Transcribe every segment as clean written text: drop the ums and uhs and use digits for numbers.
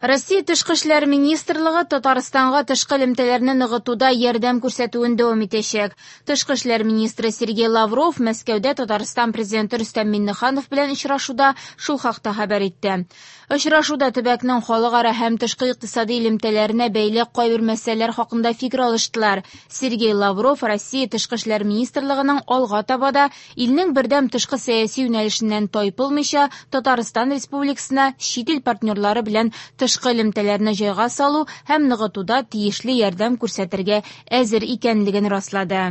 Россия Тышкы эшләр министрлыгы Татарстанга тышкы элемтәләрне ныгытуда ярдәм күрсәтүен дәвам итәчәк. Тышкы эшләр министры Сергей Лавров Мәскәүдә Татарстан президенты Рөстәм Миңнеханов белән очрашуда шул хакта хәбәр итте. Очрашуда төбәкнең халыкара һәм тышкы икътисади элемтәләренә бәйле кайбер мәсьәләләр хакында фикер алыштылар. Сергей Лавров Россия Тышкы эшләр министрлыгының алга таба да илнең бердәм тышкы сәяси юнәлешеннән тайпылмыйча Татарстан Республикасына чит ил партнерлары белән тышкы элемтәләрне җайга салу һәм ныгытуда тиешле ярдәм күрсәтергә әзер икәнлеген раслады.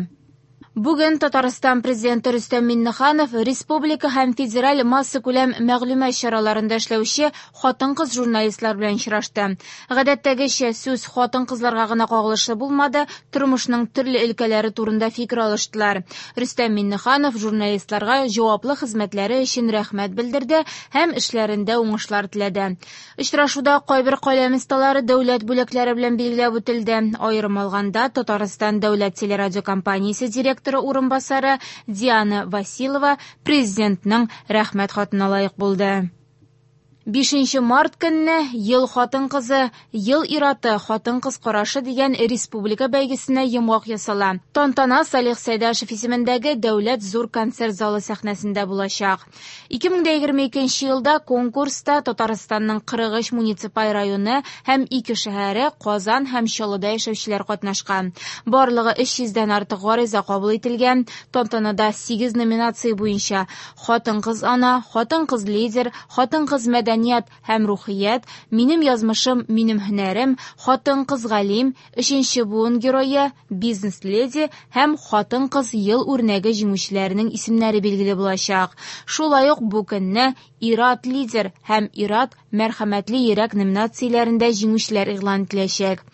Бүген Татарстан Президенты Рөстәм Миңнеханов республика һәм федераль массакүләм мәгълүмат чараларында эшләүче хатын-кыз журналистлар белән очрашты. Гадәттәгечә, сүз хатын-кызларга гына кагылышлы булмады, тормышның төрле өлкәләре турында фикер алыштылар. Рөстәм Миңнеханов журналистларга җаваплы хезмәтләре өчен рәхмәт белдерде һәм эшләрендә уңышлар теләде. Очрашуда кайбер каләм осталары дәүләт бүләкләре белән билгеләп үтелде. Аерым алганда, Татарстан дәүләт телерадиокомпаниясе директоры урынбасары Диана Василова Президентның Рәхмәт хатына лаек булды. 5 март көнне Ел хатын-кызы, ел ир-аты, хатын-кыз карашы дигән республика бәйгесенә йомгак ясала. Тантана Салих Сәйдәшев исемендәге Дәүләт зур концерт залы сәхнәсендә булачак. 2022 елда конкурста Татарстанның 43 муниципаль районы һәм ике шәһәре Казан һәм Чаллыда яшәүчеләр катнашкан. Барлыгы 300 дән артык гариза кабул ителгән. Тантанада 8 номинация буенча хатын-кыз ана, хатын-кыз лидер, хатын-кыз мәдәният һәм рухият, минем язмышым, минем һөнәрем, хатын-кыз галим, өченче буын герое, бизнес-леди һәм хатын-кыз ел үрнәге җиңүчеләренең исемнәре билгеле булачак. Шулай ук бу көнне Ир-ат лидер һәм Ир-ат мәрхәмәтле йөрәк номинацияләрендә җиңүчеләр игълан ителәчәк.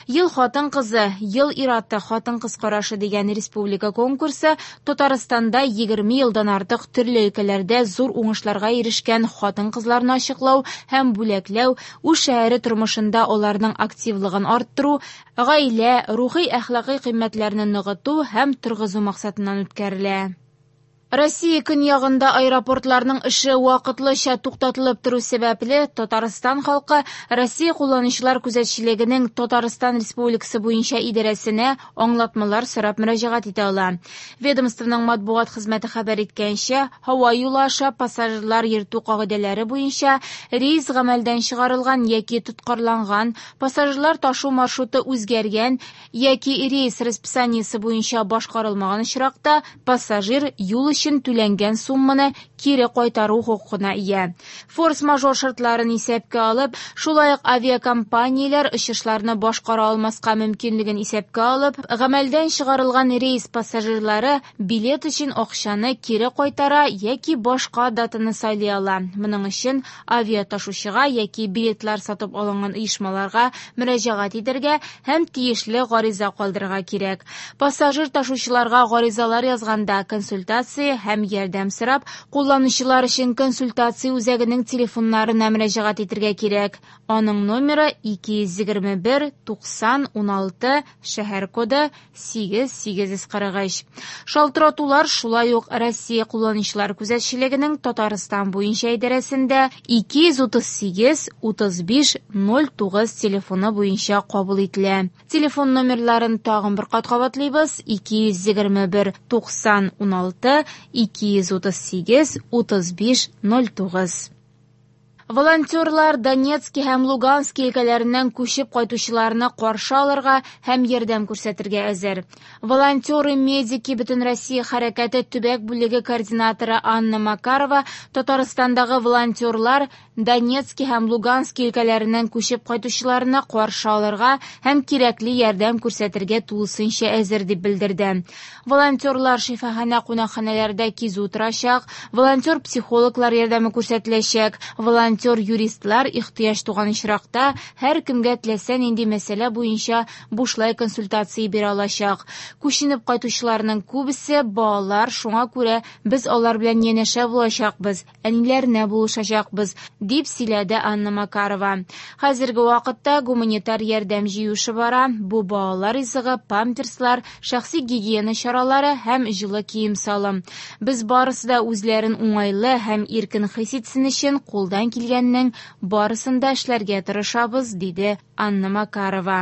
Ел хатын-кызы, ел ир-аты, хатын-кыз карашы дигән республика конкурсы Татарстанда 20 елдан артык төрле өлкәләрдә зур уңышларга ирешкән хатын-кызларны ачыклау һәм бүләкләү, үз шәһәре тормышында аларның активлыгын арттыру, гаилә, рухи-әхлакый кыйммәтләрне ныгыту һәм торгызу максатыннан үткәрелә. Россия көньягында аэропортларның эше вакытлыча туктатылып тору сәбәпле, Татарстан халкы Россия кулланучылар күзәтчелегенең Татарстан Республикасы буенча идарәсенә аңлатмалар сорап мөрәҗәгать итә ала. Ведомствоның матбугат хезмәте хәбәр иткәнчә, һава юлы аша пассажирлар йөртү кагыйдәләре буенча рейс гамәлдән чыгарылган яки тоткарланган, пассажирлар ташу маршруты үзгәргән яки рейс расписаниесе буенча башкарылмаган очракта, пассажир юл өчен түләнгән сумманы кире кайтару хокукына ия. Форс-мажор шартларын исәпкә алып, шулай ук авиакомпанияләр очышларны башкара алмаска мөмкинлеген исәпкә алып, гамәлдән чыгарылган рейс пассажирлары билет өчен акчаны кире кайтара яки башка датаны сайлый ала. Моның өчен авиаташучыга яки билетлар сатып алынган оешмаларга мөрәҗәгать итәргә һәм тиешле гариза калдырырга кирәк. Пассажир ташучыларга гаризалар язганда консультация һәм ярдәм сорап, кулланучылар өчен консультация үзәгенең телефоннарына мөрәҗәгать итәргә кирәк. Аның номеры 221 90 16, шәһәр коды 8843. Шалтыратулар шулай ук Россия кулланучылар күзәтчелегенең Татарстан буенча идарәсендә 238 35 09 телефоны буенча кабул ителә. Телефон номерларын тагын бер кат кабатлыйбыз: 221 90 16, 238 35 09. Волонтерлар Донецки һәм Лугански өлкәләреннән күчеп кайтучыларны каршы алырга һәм ярдәм күрсәтергә әзер. Волонтеры-медики Бөтенроссия хәрәкәте төбәк бүлеге координаторы Анна Макарова Татарстандагы волонтерлар Донецки һәм Лугански өлкәләреннән күчеп кайтучыларны каршы алырга һәм кирәкле ярдәм күрсәтергә тулысынча әзер дип белдерде. Волонтерлар шифаханә кунакханәләрдә кизү торачак, волонтер-психологлар ярдәме күрсәтеләчәк, волонтер-юристлар ихтыяҗ туган очракта һәркемгә теләсә нинди мәсьәлә буенча бушлай консультация бирә алачак. Күченеп кайтучыларның күбесе балалар, шуңа күрә без алар белән янәшә булачакбыз, әниләренә булышачакбыз, дип сөйләде Анна Макарова. Хәзерге вакытта гуманитар ярдәм җыю эше бара. Бу балалар ризыгы, памперслар, шәхси гигиена чаралары һәм җылы кием-салым. Без барысы да үзләрен уңайлы һәм иркен хис итсен өчен кулдан килгән килгәннең барысын да эшләргә тырышабыз, диде Анна Макарова.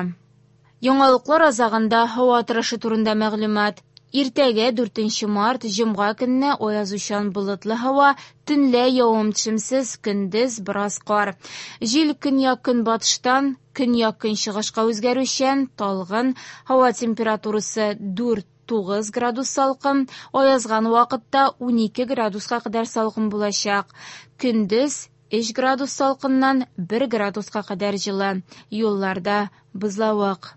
Яңалыклар азагында һава торышы турында мәгълүмат. Иртәгә, 4 март, җомга көнне аязучан болытлы һава, төнлә явым-төшемсез, көндез бераз кар. Җил көньяк-көнбатыштан көньяк-көнчыгышка үзгәрүчән, талгын, һава температурасы 4-9 градус салкын, аязган вакытта 12 градуска кадәр салкын булачак. Көндез 3 градус салкыннан 1 градуска кадәр җылы. Юлларда бозлавык.